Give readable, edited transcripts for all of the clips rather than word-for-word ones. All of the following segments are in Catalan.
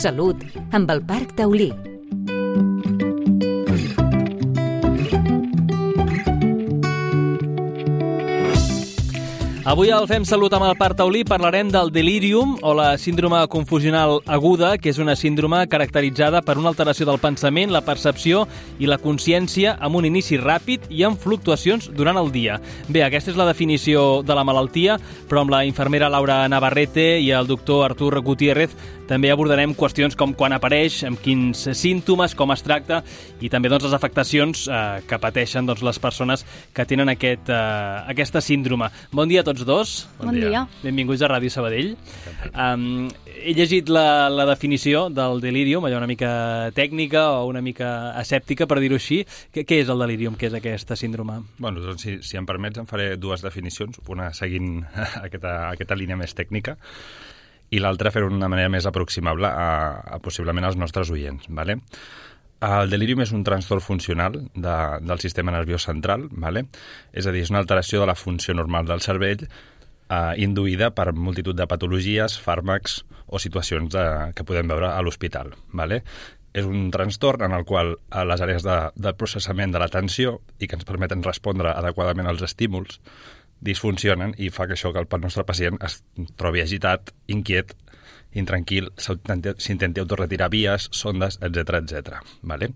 Salut, amb el Parc Taulí. Avui al Fem Salut amb el Parc Taulí parlarem del delírium o la síndrome confusional aguda, que és una síndrome caracteritzada per una alteració del pensament, la percepció i la consciència amb un inici ràpid i amb fluctuacions durant el dia. Bé, aquesta és la definició de la malaltia, però amb la infermera Laura Navarrete i el doctor Artur Gutiérrez també abordarem qüestions com quan apareix, amb quins símptomes, com es tracta i també les afectacions que pateixen les persones que tenen aquesta síndrome. Bon dia a tots dos. Bon dia. Benvinguts a Ràdio Sabadell. He llegit la definició del delírium, allò una mica tècnica o una mica escèptica, per dir-ho així. Què és el delírium? Què és aquesta síndrome? Bueno, doncs, si em permets, em faré dues definicions, una seguint aquesta línia més tècnica i l'altra fer-ho d'una manera més aproximable a possiblement als nostres oients. ¿Vale? El delírium és un trastorn funcional del sistema nerviós central, ¿vale? És a dir, és una alteració de la funció normal del cervell induïda per multitud de patologies, fàrmacs o situacions que podem veure a l'hospital. ¿Vale? És un trastorn en el qual les àrees de processament de l'atenció i que ens permeten respondre adequadament als estímuls disfuncionen i fa que això que el nostre pacient es trobi agitat, inquiet, intranquil, s'intenti autorretirar vies, sondes, etc. ¿Vale?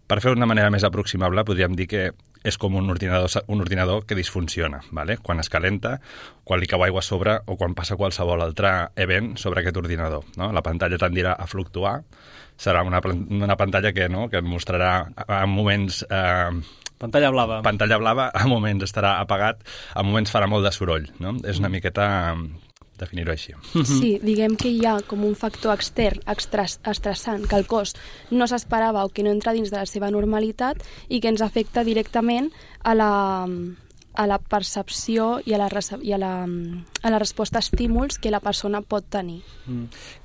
Per fer-ho d'una manera més aproximable, podríem dir que és com un ordinador que disfunciona, ¿vale? Quan es calenta, quan li cau aigua a sobre o quan passa qualsevol altre event sobre aquest ordinador. No? La pantalla tendirà a fluctuar, serà una pantalla que et mostrarà en moments... Pantalla blava. Pantalla blava, a moments estarà apagat, a moments farà molt de soroll. No? És una miqueta definir-ho així. Sí, diguem que hi ha com un factor extern, estressant, que el cos no s'esperava o que no entra dins de la seva normalitat i que ens afecta directament a la percepció i a la resposta a estímuls que la persona pot tenir.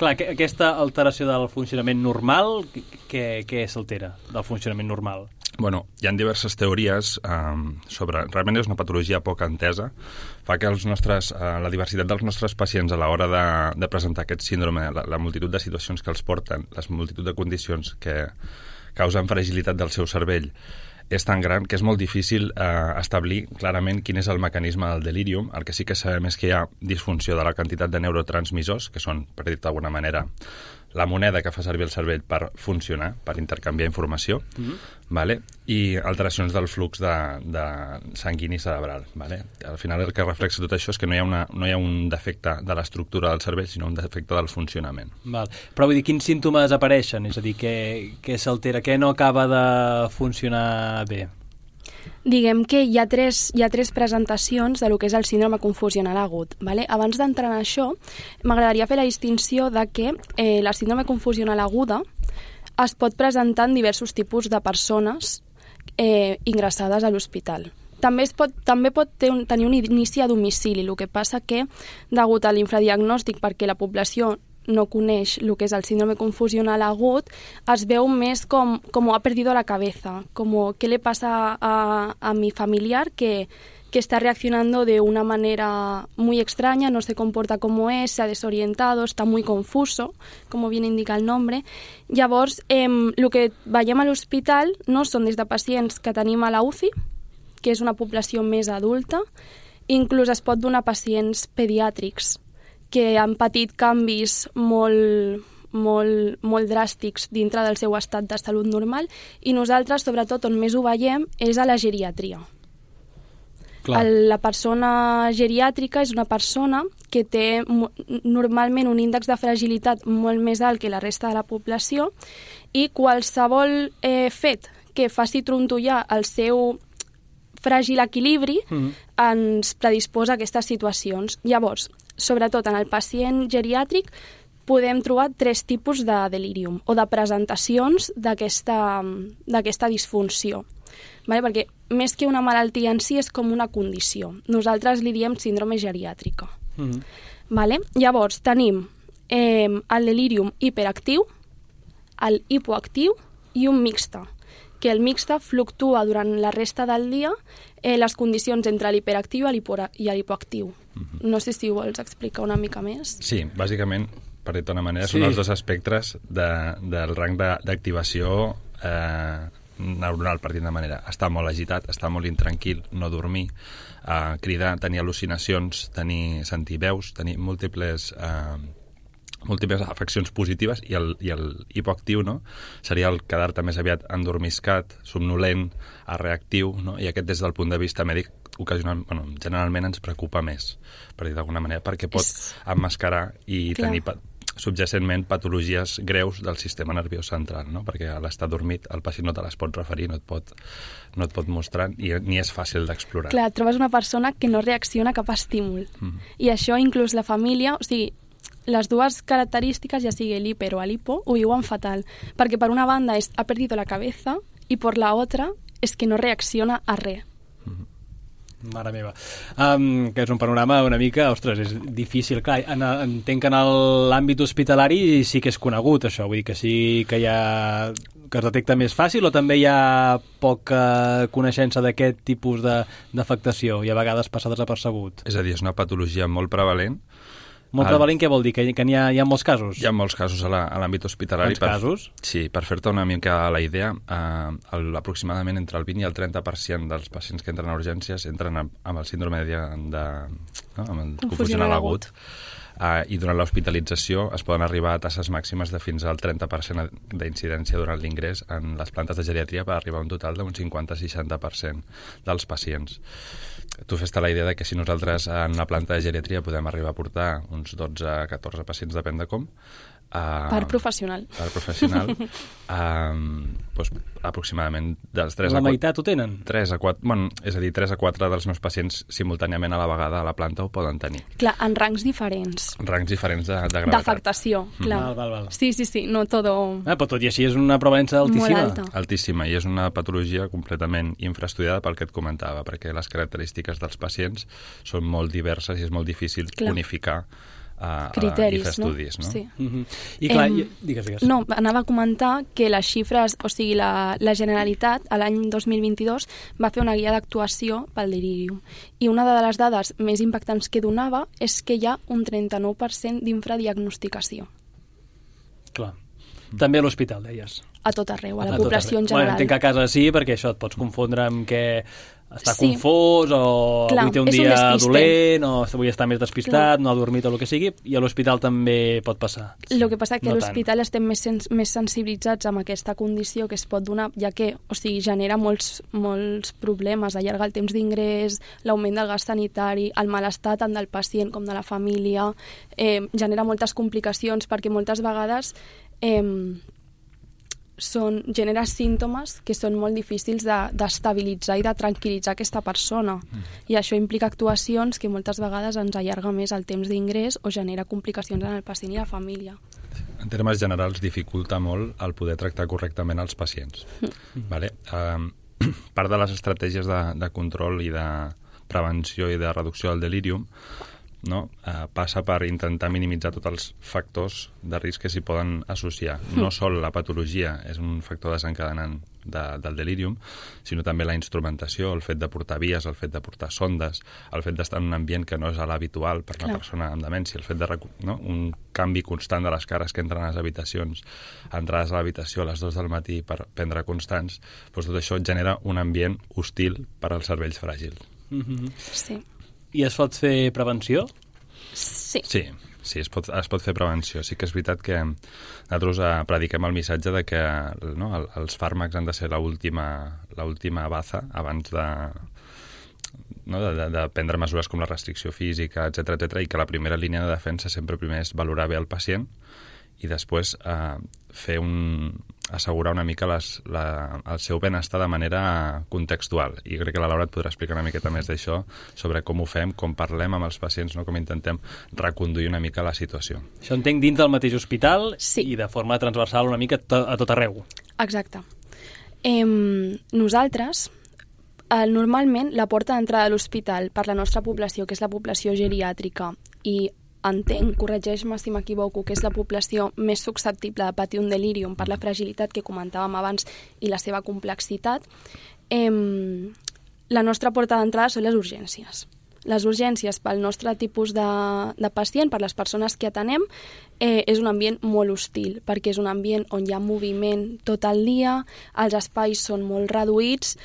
Clar, aquesta alteració del funcionament normal, què s'altera del funcionament normal? Bueno, hi ha diverses teories sobre... Realment és una patologia poc entesa. Fa que la diversitat dels nostres pacients a l'hora de presentar aquest síndrome, la multitud de situacions que els porten, les multitud de condicions que causen fragilitat del seu cervell, és tan gran que és molt difícil establir clarament quin és el mecanisme del delírium. El que sí que sabem és que hi ha disfunció de la quantitat de neurotransmissors, que són, per dir-ho d'alguna manera, la moneda que fa servir el cervell per funcionar, per intercanviar informació, ¿vale? I alteracions del flux de sanguini cerebral. ¿Vale? Al final el que reflexa tot això és que no hi ha un defecte de l'estructura del cervell, sinó un defecte del funcionament. Val. Però vull dir, quins símptomes apareixen? És a dir, què s'altera? Què no acaba de funcionar bé? Diguem que hi ha tres presentacions de lo que és el síndrome confusional agut. ¿Vale? Abans d'entrar en això, m'agradaria fer la distinció de que la síndrome confusional aguda es pot presentar en diversos tipus de persones ingressades a l'hospital. També pot tenir un inici a domicili, el que passa que, degut a l'infradiagnòstic, perquè la població no coneix el que és el síndrome confusional agut, es veu més com ha perdido la cabeza, como qué le pasa a mi familiar que está reaccionando de una manera muy extraña, no se comporta como es, se ha desorientado, está muy confuso, como bien indica el nombre. Llavors, el que veiem a l'hospital no són des de pacients que tenim a la UCI, que és una població més adulta, inclús es pot donar pacients pediàtrics que han patit canvis molt dràstics dintre del seu estat de salut normal, i nosaltres, sobretot, on més ho veiem és a la geriatria. Clar. La persona geriàtrica és una persona que té normalment un índex de fragilitat molt més alt que la resta de la població, i qualsevol fet que faci trontollar el seu fràgil equilibri ens predisposa a aquestes situacions. Llavors, sobretot en el pacient geriàtric, podem trobar tres tipus de delírium o de presentacions d'aquesta disfunció. Vale? Perquè més que una malaltia en si és com una condició. Nosaltres li diem síndrome geriàtrica. Vale? Llavors tenim el delírium hiperactiu, el hipoactiu i un mixte, que el mixte fluctua durant la resta del dia les condicions entre l'hiperactiu i l'hipoactiu. No sé si vols explicar una mica més. Sí, bàsicament per dir-ho d'una manera, són els dos espectres del rang d'activació neuronal, per dir-ho d'una manera. Estar molt agitat, estar molt intranquil, no dormir, cridar, tenir al·lucinacions, sentir veus, tenir múltiples afeccions positives, i el hipoactiu, no? Seria el quedar-te més aviat endormiscat, somnolent, reactiu, no? I aquest, des del punt de vista mèdic, generalment ens preocupa més, per dir d'alguna manera, perquè pot emmascarar i tenir subjacentment patologies greus del sistema nerviós central, no? Perquè a l'estar dormit el pacient no te les pot referir, no et pot mostrar, i ni és fàcil d'explorar. Clar, trobes una persona que no reacciona a cap estímul. I això inclús la família, o sigui, les dues característiques, ja sigui l'hiper o l'hipo, ho viuen fatal, perquè per una banda ha perdido la cabeza i per la otra és que no reacciona a res. Mare meva. Que és un panorama una mica, ostres, és difícil. Clar, entenc que en l'àmbit hospitalari sí que és conegut això, vull dir que sí que que es detecta més fàcil, o també hi ha poca coneixença d'aquest tipus d'afectació i a vegades passa desapercebut? És a dir, és una patologia molt prevalent. Molt prevalent què vol dir? Que n'hi ha molts casos? Hi ha molts casos a l'àmbit hospitalari. Quants casos? Sí, per fer-te una mica la idea, aproximadament entre el 20 i el 30% dels pacients que entren a urgències entren amb el síndrome amb el confusional agut. I durant l'hospitalització es poden arribar a tasses màximes de fins al 30% d'incidència durant l'ingrés en les plantes de geriatria, per arribar a un total d'un 50-60% dels pacients. Tu fes-te la idea de que si nosaltres en una planta de geriatria podem arribar a portar uns 12-14 pacients, depèn de com, per professional. Per professional. Doncs aproximadament dels 3 a 4... La meitat ho tenen? 3 a 4... Bueno, és a dir, 3 a 4 dels meus pacients simultàniament a la vegada a la planta ho poden tenir. Clar, en rangs diferents. Rangs diferents de gravetat. D'afectació, clar. Val. Sí, no todo... Però tot i així és una prevalença altíssima. Molt alta. Altíssima, i és una patologia completament infraestudiada pel que et comentava, perquè les característiques dels pacients són molt diverses i és molt difícil unificar criteris, i fer estudis, no? Sí. I clar, digues. No, anava a comentar que les xifres, o sigui, la Generalitat, a l'any 2022, va fer una guia d'actuació pel delirium. I una de les dades més impactants que donava és que hi ha un 39% d'infradiagnosticació. Clar. També a l'hospital, deies. A tot arreu, a la població en general. Bueno, entenc que a casa sí, perquè això et pots confondre amb que està confós, o avui té un dia dolent, o avui està més despistat, no ha dormit o el que sigui, i a l'hospital també pot passar. El que passa és que a l'hospital estem més sensibilitzats amb aquesta condició que es pot donar, ja que genera molts problemes, allarga el temps d'ingrés, l'augment del gas sanitari, el malestar tant del pacient com de la família, genera moltes complicacions, perquè moltes vegades genera símptomes que són molt difícils d'estabilitzar i de tranquil·litzar aquesta persona. I això implica actuacions que moltes vegades ens allarga més el temps d'ingrés o genera complicacions en el pacient i la família. En termes generals, dificulta molt el poder tractar correctament els pacients. Vale? Part de les estratègies de control i de prevenció i de reducció del delírium passa per intentar minimitzar tots els factors de risc que s'hi poden associar. No sol la patologia és un factor desencadenant del delírium, sinó també la instrumentació, el fet de portar vies, el fet de portar sondes, el fet d'estar en un ambient que no és l'habitual per una persona amb demència, el fet de un canvi constant de les cares que entren a les habitacions, entrades a l'habitació a les 2 del matí per prendre constants, doncs tot això genera un ambient hostil per als cervells fràgils. Sí. I es pot fer prevenció? Sí. Sí, es pot fer prevenció. Sí que és veritat que nosaltres prediquem el missatge de que els fàrmacs han de ser l'última baza abans de prendre mesures com la restricció física, etc, i que la primera línia de defensa sempre primer és valorar bé el pacient i després assegurar una mica el seu benestar de manera contextual. I crec que la Laura et podrà explicar una miqueta més d'això, sobre com ho fem, com parlem amb els pacients, com intentem reconduir una mica la situació. Això entenc dins del mateix hospital i de forma transversal una mica a tot arreu. Exacte. Nosaltres, normalment, la porta d'entrada a l'hospital per la nostra població, que és la població geriàtrica, i entenc, corregeix-me si m'equivoco, que és la població més susceptible de patir un delírium per la fragilitat que comentàvem abans i la seva complexitat, la nostra porta d'entrada són les urgències. Les urgències pel nostre tipus de pacient, per les persones que atenem, és un ambient molt hostil, perquè és un ambient on hi ha moviment tot el dia, els espais són molt reduïts,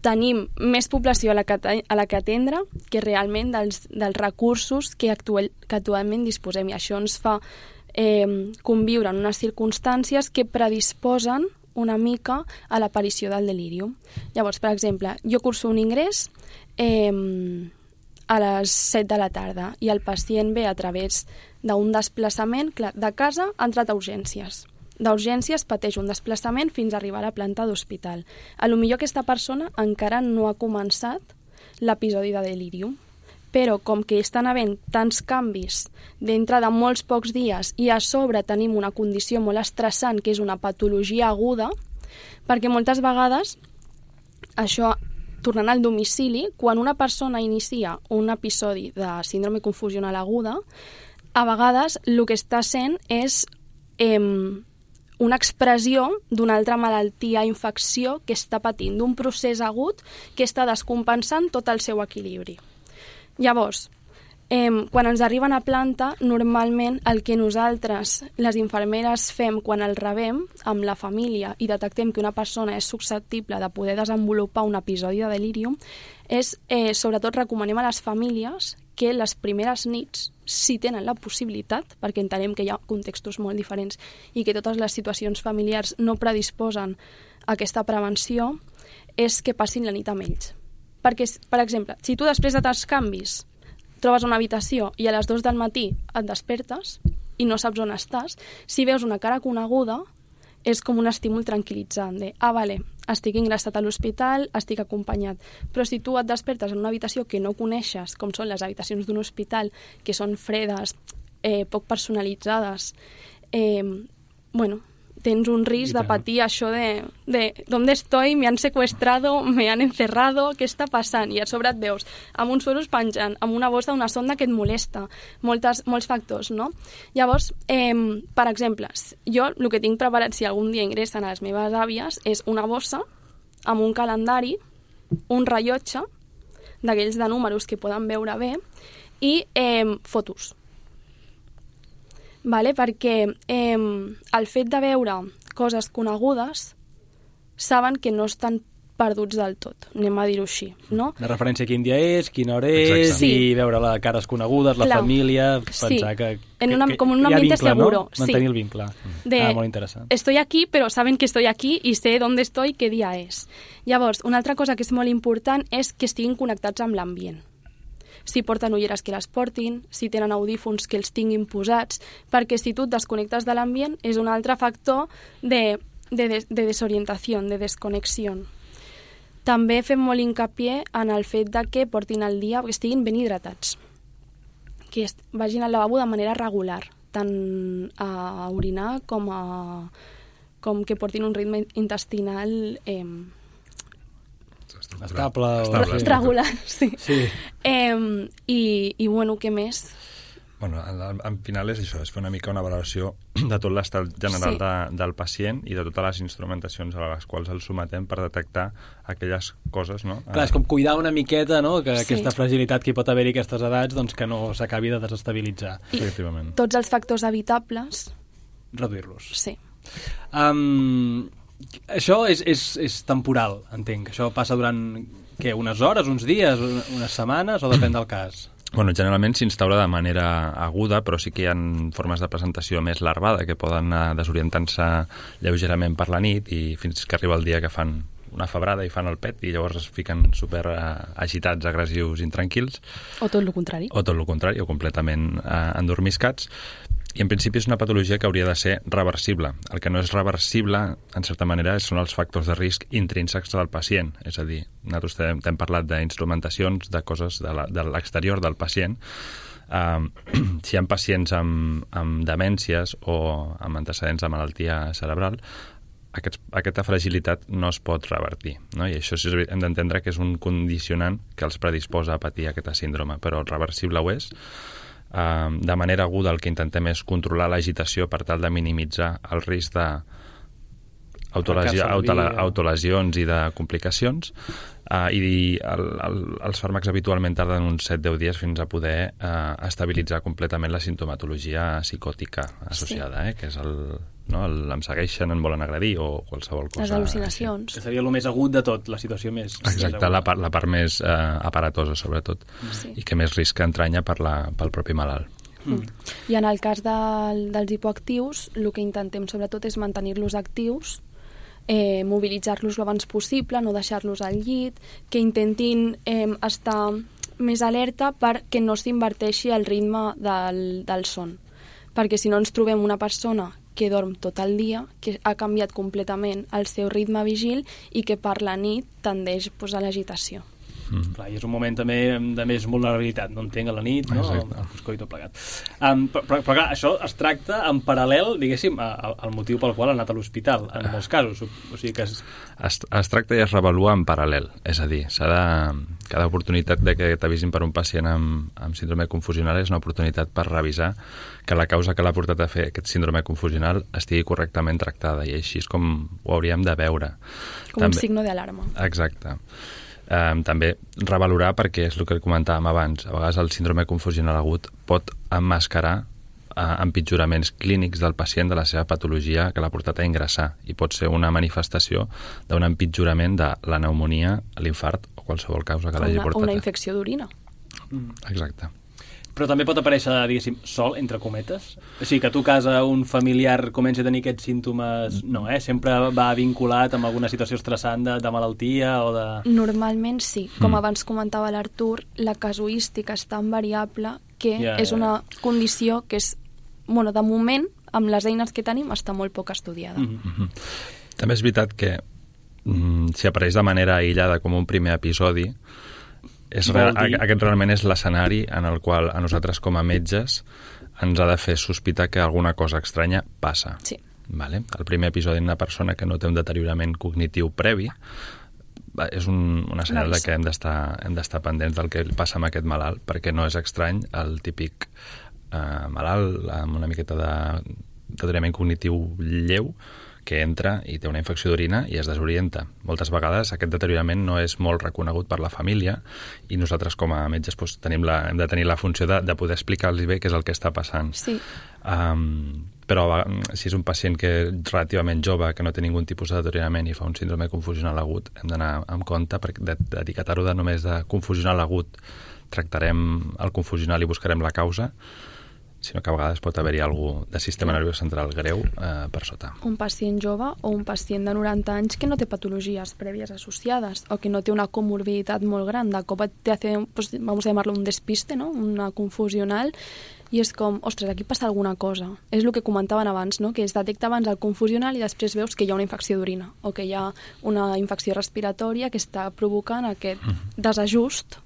tenim més població a la que atendre que realment dels recursos que actualment disposem, i això ens fa conviure en unes circumstàncies que predisposen una mica a l'aparició del delírium. Llavors, per exemple, jo curso un ingrés a les 7 de la tarda i el pacient ve a través d'un desplaçament de casa, ha entrat a urgències. D'urgències pateix un desplaçament fins a arribar a la planta d'hospital. A lo millor aquesta persona encara no ha començat l'episodi de delírium, però com que estan havent tants canvis dintre de molts pocs dies i a sobre tenim una condició molt estressant, que és una patologia aguda, perquè moltes vegades, això tornant al domicili, quan una persona inicia un episodi de síndrome confusional aguda, a vegades el que està sent és una expressió d'una altra malaltia, infecció, que està patint, d'un procés agut que està descompensant tot el seu equilibri. Llavors, quan ens arriben a planta, normalment el que nosaltres, les infermeres, fem quan el rebem amb la família i detectem que una persona és susceptible de poder desenvolupar un episodi de delírium, és, sobretot, recomanem a les famílies que les primeres nits, si tenen la possibilitat, perquè entenem que hi ha contextos molt diferents i que totes les situacions familiars no predisposen a aquesta prevenció, és que passin la nit amb ells. Perquè, per exemple, si tu després de tants canvis trobes una habitació i a les 2 del matí et despertes i no saps on estàs, si veus una cara coneguda, és com un estímul tranquil·litzant de, vale, estic ingressat a l'hospital, estic acompanyat. Però si tu et despertes en una habitació que no coneixes, com són les habitacions d'un hospital, que són fredes, poc personalitzades, tens un risc de patir això de ¿dónde estoy? Me han secuestrado, me han encerrado, què està passant? I a sobre et veus amb uns suros penjant, amb una bossa d'una sonda que et molesta, molts factors, no? Llavors, per exemple, jo el que tinc preparat si algun dia ingressen a les meves àvies és una bossa amb un calendari, un rellotge, d'aquells de números que poden veure bé, i fotos. Vale? Perquè el fet de veure coses conegudes saben que no estan perduts del tot, anem a dir-ho així, no? La referència a quin dia és, quina hora és, sí. I veure les cares conegudes, la família, pensar que com un ambiente seguro. No? Mantenir el vincle. Molt interessant. Estoy aquí, però saben que estoy aquí i sé dónde estoy, qué dia és. Llavors, una altra cosa que és molt important és que estiguin connectats amb l'ambient. Si porten ulleres que les portin, si tenen audífons que els tinguin posats, perquè si tu et desconnectes de l'ambient és un altre factor de desorientació, de desconnexió. També fem molt hincapié en el fet de que portin el dia, que estiguin ben hidratats, que vagin al lavabo de manera regular, tant a orinar com que portin un ritme intestinal estable. Regular, sí. I bueno, què més? Bueno, al final és això, és fer una mica una valoració de tot l'estat general del pacient i de totes les instrumentacions a les quals el sometem per detectar aquelles coses, no? Clar, és com cuidar una miqueta, no?, que aquesta fragilitat que hi pot haver-hi a aquestes edats, doncs que no s'acabi de desestabilitzar. Efectivament. Tots els factors evitables... reduir-los. Sí. Això és temporal, entenc. Això passa durant, unes hores, uns dies, unes setmanes, o depèn del cas? Bueno, generalment s'instaura de manera aguda, però sí que hi ha formes de presentació més larvada que poden anar desorientant-se lleugerament per la nit i fins que arriba el dia que fan una febrada i fan el pet i llavors es fiquen super agitats, agressius, intranquils. O tot el contrari. O completament endormiscats. I en principi és una patologia que hauria de ser reversible. El que no és reversible, en certa manera, són els factors de risc intrínsecs del pacient. És a dir, nosaltres hem parlat d'instrumentacions, de coses de l'exterior del pacient. Si hi ha pacients amb demències o amb antecedents de malaltia cerebral, aquesta fragilitat no es pot revertir, no? I això hem d'entendre que és un condicionant que els predisposa a patir aquesta síndrome, però reversible ho és. De manera aguda el que intentem és controlar l'agitació per tal de minimitzar el risc autolesions i de complicacions, i els fàrmacs habitualment tarden uns 7-10 dies fins a poder estabilitzar completament la sintomatologia psicòtica associada, que és em segueixen, em volen agredir o qualsevol cosa. Les al·lucinacions. Que seria el més agut de tot, la situació més... Exacte, la part més aparatosa, sobretot, i que més risc entranya pel propi malalt. I en el cas dels hipoactius, el que intentem sobretot és mantenir-los actius, mobilitzar-los l'abans possible, no deixar-los al llit, que intentin estar més alerta perquè no s'inverteixi el ritme del son. Perquè si no ens trobem una persona que dorm tot el dia, que ha canviat completament el seu ritme vigil i que per la nit tendeix a l'agitació. Clar, i és un moment també de més vulnerabilitat, no entenc, a la nit, no? El foscor i tot plegat. Però clar, això es tracta en paral·lel, diguéssim, al motiu pel qual ha anat a l'hospital, en molts casos. O sigui que es tracta i es revalua en paral·lel, és a dir, cada oportunitat de que t'avisin per un pacient amb síndrome confusional és una oportunitat per revisar que la causa que l'ha portat a fer aquest síndrome confusional estigui correctament tractada, i així és com ho hauríem de veure. Com un signo d'alarma. Exacte. També revalorar, perquè és el que comentàvem abans, a vegades el síndrome confusional agut pot emmascarar empitjoraments clínics del pacient de la seva patologia que l'ha portat a ingressar, i pot ser una manifestació d'un empitjorament de la pneumonia, l'infart o qualsevol causa que l'hagi portat. O una infecció d'orina. Exacte. Però també pot aparèixer, diguéssim, sol, entre cometes? O sigui, que a tu casa un familiar comenci a tenir aquests símptomes, no, sempre va vinculat amb alguna situació estressant de malaltia o de... Normalment sí. Com abans comentava l'Artur, la casuística és tan variable que és una condició que és, de moment, amb les eines que tenim, està molt poc estudiada. També és veritat que si apareix de manera aïllada com un primer episodi, aquest realment és l'escenari en el qual a nosaltres com a metges ens ha de fer sospitar que alguna cosa estranya passa. Sí. Vale? El primer episodi d'una persona que no té un deteriorament cognitiu previ és una senyal que hem d'estar pendents del que passa amb aquest malalt, perquè no és estrany el típic malalt amb una miqueta de deteriorament cognitiu lleu que entra i té una infecció d'orina i es desorienta. Moltes vegades aquest deteriorament no és molt reconegut per la família i nosaltres com a metges hem de tenir la funció de poder explicar-los bé què és el que està passant. Sí. Però si és un pacient que és relativament jove, que no té ningun tipus de deteriorament i fa un síndrome confusional agut, hem d'anar amb compte perquè d'etiquetar-ho de només de confusional agut tractarem el confusional i buscarem la causa, sinó que a vegades pot haver-hi alguna de sistema nerviós central greu per sota. Un pacient jove o un pacient de 90 anys que no té patologies prèvies associades o que no té una comorbiditat molt gran, de cop te hace, vamos a llamarlo un despiste, ¿no? Una confusional, i és com, ostres, aquí passa alguna cosa. És el que comentaven abans, no? Que es detecta abans el confusional i després veus que hi ha una infecció d'orina o que hi ha una infecció respiratòria que està provocant aquest desajust.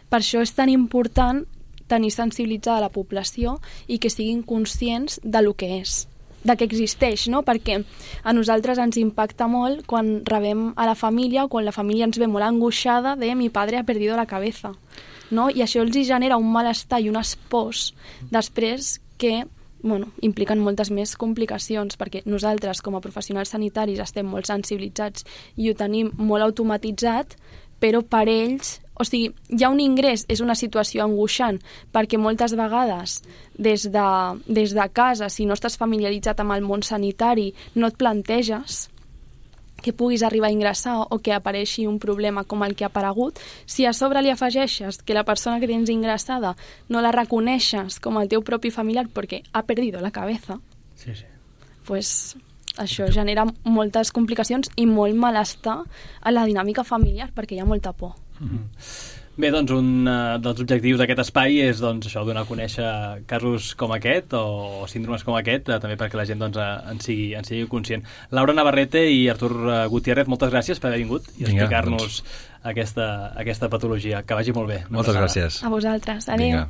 Per això és tan important tenir sensibilitzada la població i que siguin conscients de lo que és, de que existeix, no? Perquè a nosaltres ens impacta molt quan rebem a la família o quan la família ens ve molt angoixada de mi padre ha perdido la cabeza, no? I això els genera un malestar i unes pors després que impliquen moltes més complicacions, perquè nosaltres com a professionals sanitaris estem molt sensibilitzats i ho tenim molt automatitzat, però per ells, o sigui, ja un ingrés és una situació angoixant, perquè moltes vegades des de casa, si no estàs familiaritzat amb el món sanitari, no et planteges que puguis arribar a ingressar o que apareixi un problema com el que ha aparegut. Si a sobre li afegeixes que la persona que tens ingressada no la reconeixes com el teu propi familiar perquè ha perdido la cabeza, pues això genera moltes complicacions i molt malestar a la dinàmica familiar perquè hi ha molta por. Bé, doncs un dels objectius d'aquest espai és això, donar a conèixer casos com aquest o síndromes com aquest, també perquè la gent en sigui conscient. Laura Navarrete i Artur Gutiérrez, moltes gràcies per haver vingut i explicar-nos aquesta patologia. Que vagi molt bé. Moltes gràcies. A vosaltres. Adéu.